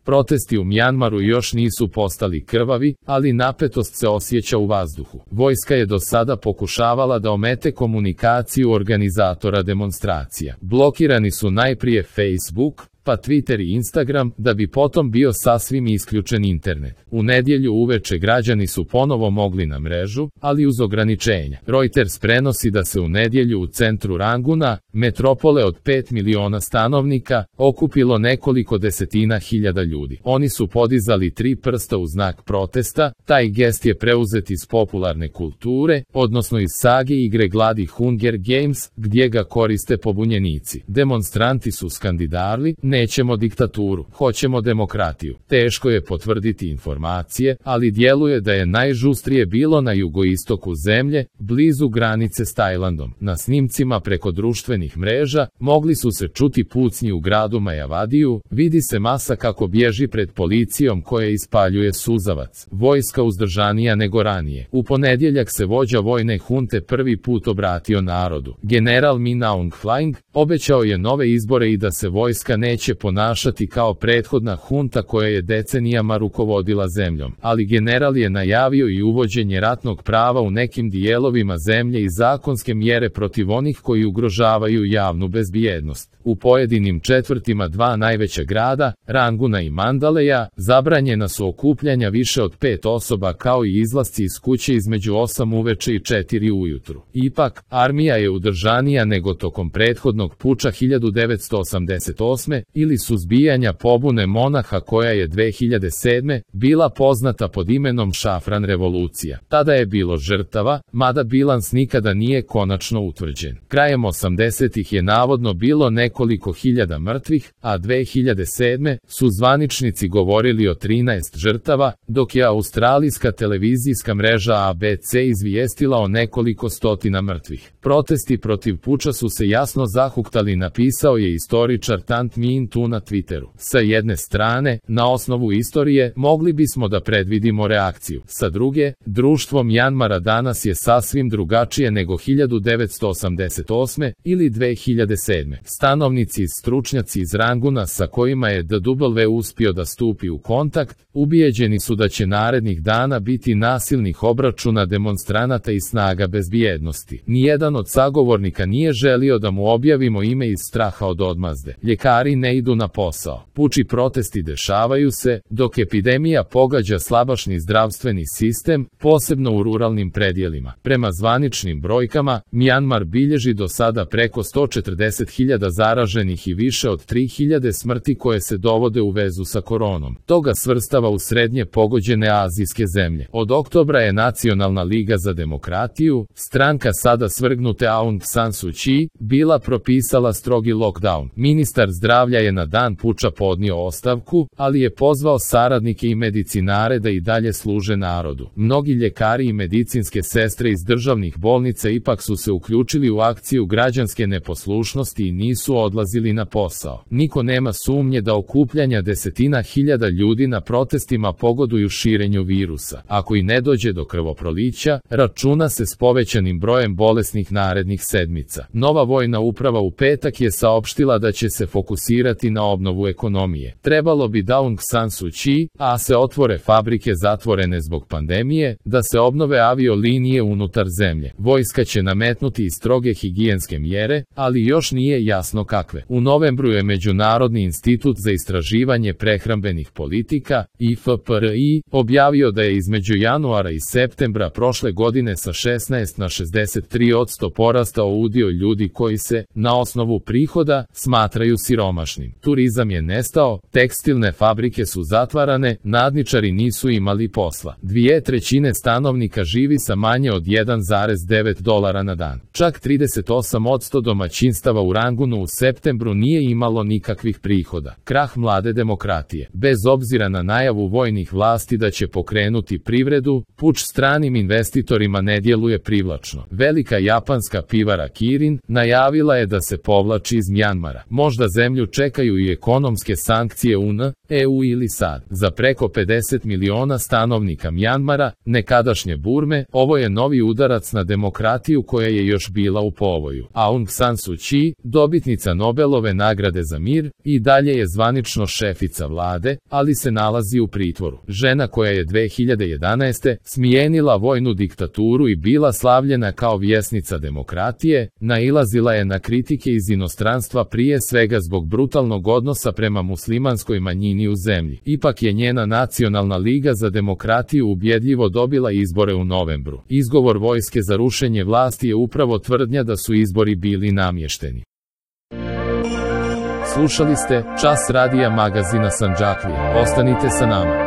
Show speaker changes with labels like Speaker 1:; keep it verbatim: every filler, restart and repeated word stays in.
Speaker 1: Protesti u Mjanmaru još nisu postali krvavi, ali napetost se osjeća u vazduhu. Vojska je do sada pokušavala da omete komunikaciju organizatora demonstracija. Blokirani su najprije Facebook, pa Twitter i Instagram, da bi potom bio sasvim isključen internet. U nedjelju uveče građani su ponovo mogli na mrežu, ali uz ograničenja. Reuters prenosi da se u nedjelju u centru Ranguna, metropole od pet miliona stanovnika, okupilo nekoliko desetina hiljada ljudi. Oni su podizali tri prsta u znak protesta. Taj gest je preuzet iz popularne kulture, odnosno iz sage igre gladi Hunger Games, gdje ga koriste pobunjenici. Demonstranti su skandidali: nećemo diktaturu, hoćemo demokratiju. Teško je potvrditi informacije, ali djeluje da je najžustrije bilo na jugoistoku zemlje, blizu granice s Tajlandom. Na snimcima preko društvenih mreža mogli su se čuti pucnji u gradu Majavadiju, vidi se masa kako bježi pred policijom koja ispaljuje suzavac. Vojska uzdržanija nego ranije. U ponedjeljak se vođa vojne hunte prvi put obratio narodu. General Min Aung Hlaing obećao je nove izbore i da se vojska neće ponašati kao prethodna hunta koja je decenijama rukovodila zemljom. Ali general je najavio i uvođenje ratnog prava u nekim dijelovima zemlje i zakonske mjere protiv onih koji ugrožavaju javnu bezbjednost. U pojedinim četvrtima dva najveća grada, Ranguna i Mandaleja, zabranjena su okupljanja više od pet osoba kao i izlasci iz kuće između osam uveče i četiri ujutru. Ipak, armija je udržanija nego tokom prethodnog puča hiljadu devetsto osamdeset osme ili suzbijanja pobune monaha koja je dve hiljade sedme bila poznata pod imenom Šafran revolucija. Tada je bilo žrtava, mada bilans nikada nije konačno utvrđen. Krajem osamdesetih je navodno bilo nekoliko hiljada mrtvih, a dve hiljade sedme su zvaničnici govorili o trinaest žrtava, dok je australijska televizijska mreža A B C izvijestila o nekoliko stotina mrtvih. Protesti protiv puča su se jasno zahuktali, napisao je istoričar Tant Minh Tu na Twitteru. Sa jedne strane, na osnovu istorije, mogli bismo da predvidimo reakciju. Sa druge, društvo Mjanmara danas je sasvim drugačije nego hiljadu devetsto osamdeset osme ili dve hiljade sedme. Stanovnici i stručnjaci iz Ranguna sa kojima je D W uspio da stupi u kontakt, ubijeđeni su da će narednih dana biti nasilnih obračuna demonstranata i snaga bezbjednosti. Nijedan od sagovornika nije želio da mu objavimo ime iz straha od odmazde. Ljekari ne idu na posao. Puči protesti dešavaju se, dok epidemija pogađa slabašni zdravstveni sistem, posebno u ruralnim predjelima. Prema zvaničnim brojkama, Mjanmar bilježi do sada preko sto četrdeset hiljada zaraženih i više od tri hiljade smrti koje se dovode u vezu sa koronom. Toga svrstava u srednje pogođene azijske zemlje. Od oktobra je Nacionalna liga za demokratiju, stranka sada svrgnute Aung San Suu Kyi, bila propisala strogi lockdown. Ministar zdravlja je na dan puča podnio ostavku, ali je pozvao saradnike i medicinare da i dalje služe narodu. Mnogi ljekari i medicinske sestre iz državnih bolnica ipak su se uključili u akciju građanske neposlušnosti i nisu odlazili na posao. Niko nema sumnje da okupljanja desetina hiljada ljudi na protestima pogoduju širenju virusa. Ako i ne dođe do krvoprolića, računa se s povećanim brojem bolesnih narednih sedmica. Nova vojna uprava u petak je saopštila da će se fokusirati na obnovu ekonomije. Trebalo bi da Aung San Suu Kyi, a se otvore fabrike zatvorene zbog pandemije, da se obnove aviolinije unutar zemlje. Vojska će nametnuti i stroge higijenske mjere, ali još nije jasno kakve. U novembru je Međunarodni institut za istraživanje prehrambenih politika, I F P R I, objavio da je između januara i septembra prošle godine sa šesnaest na šezdeset tri posto porastao udio ljudi koji se, na osnovu prihoda, smatraju siromašnim. Turizam je nestao, tekstilne fabrike su zatvarane, nadničari nisu imali posla. Dvije trećine stanovnika živi sa manje od jedan zarez devet dolara na dan. Čak trideset osam posto domaćinstava u Rangunu u septembru nije imalo nikakvih prihoda. Krah mlade demokratije. Bez obzira na najavu vojnih vlasti da će pokrenuti privredu, puč stranim investitorima ne djeluje privlačno. Velika japanska pivara Kirin najavila je da se povlači iz Mjanmara. Možda zemlju čekaju i ekonomske sankcije U N, E U ili S A D. Za preko pedeset miliona stanovnika Mjanmara, nekadašnje Burme, ovo je novi udarac na demokratiju koja je još bila u povoju. Aung San Suu Kyi, dobitnica dobitnica Nobelove nagrade za mir, i dalje je zvanično šefica vlade, ali se nalazi u pritvoru. Žena koja je dve hiljade jedanaeste. smijenila vojnu diktaturu i bila slavljena kao vjesnica demokratije, nailazila je na kritike iz inostranstva prije svega zbog brutalnog odnosa prema muslimanskoj manjini u zemlji. Ipak je njena Nacionalna liga za demokratiju ubjedljivo dobila izbore u novembru. Izgovor vojske za rušenje vlasti je upravo tvrdnja da su izbori bili namješteni. Slušali ste Čas radija magazina Sandžaklije. Ostanite sa nama.